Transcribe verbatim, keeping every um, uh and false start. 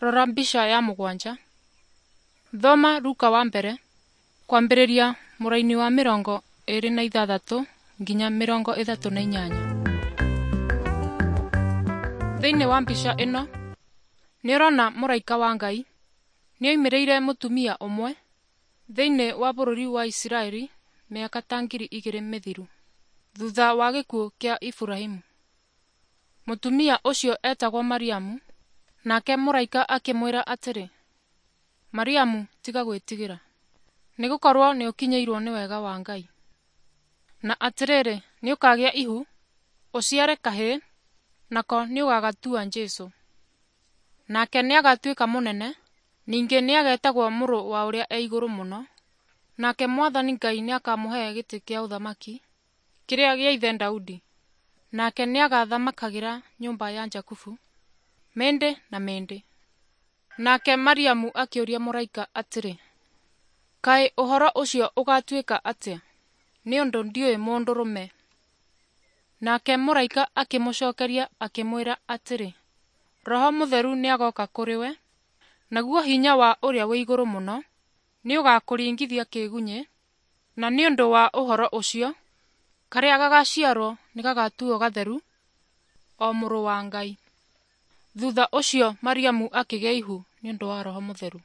Rora mbica ya mũgwanja. Thoma Luka wa mbere kwambĩrĩria mũraini wa mĩrongo ĩrĩ na ithathatũ nginya mĩrongo ĩthatũ na inyanya. Thĩinĩ wa mbica ĩno nĩũrona mũraika wa Ngai nĩoimĩrĩire mũtumia ũmwe thĩinĩ wa bũrũri wa Isiraeli mĩaka ta ngiri igĩrĩ mĩthiru thutha wa gĩkuũ kĩa Iburahimu. Mũtumia ũcio etagwo Mariamu, nake mũraika akĩmwĩra atĩrĩ, Mariamu tiga gwĩtigĩra, nĩgũkorwo nĩũkinyĩirwo nĩ wega wa Ngai. Na atĩrĩrĩ, nĩũkagĩa ihu, ũciare kahĩĩ, nako nĩũgagatua Jesũ. Nake nĩagatuĩka mũnene, ningĩ nĩagetagwo Mũrũ wa Ũrĩa e Igũrũ Mũno, nake Mwathani Ngai nĩakamũhe gĩtĩ kĩa ũthamaki kĩrĩa gĩa ithe Daudi, nake nĩagathamakagĩra nyũmba ya Jakubu mĩndĩ na mĩndĩ. Nake Mariamu akĩũria mũraika atĩrĩ, Kaĩ ũhoro ũcio ũgatuĩka atĩa, nĩ ũndũ ndiũĩ mũndũrũme? Nake mũraika akĩmũcookeria akĩmwĩra atĩrĩ, Roho Mũtheru nĩagoka kũrĩ we, naguo hinya wa Ũrĩa wĩ Igũrũ Mũno nĩũgakũringithia kĩgunyĩ, na nĩ ũndũ wa ũhoro ũcio, karĩa gagaciarwo nĩgagatuo gatheru, o Mũrũ wa Ngai. Thutha ũcio Mariamu akĩgĩa ihu nĩ ũndũ wa Roho Mũtheru.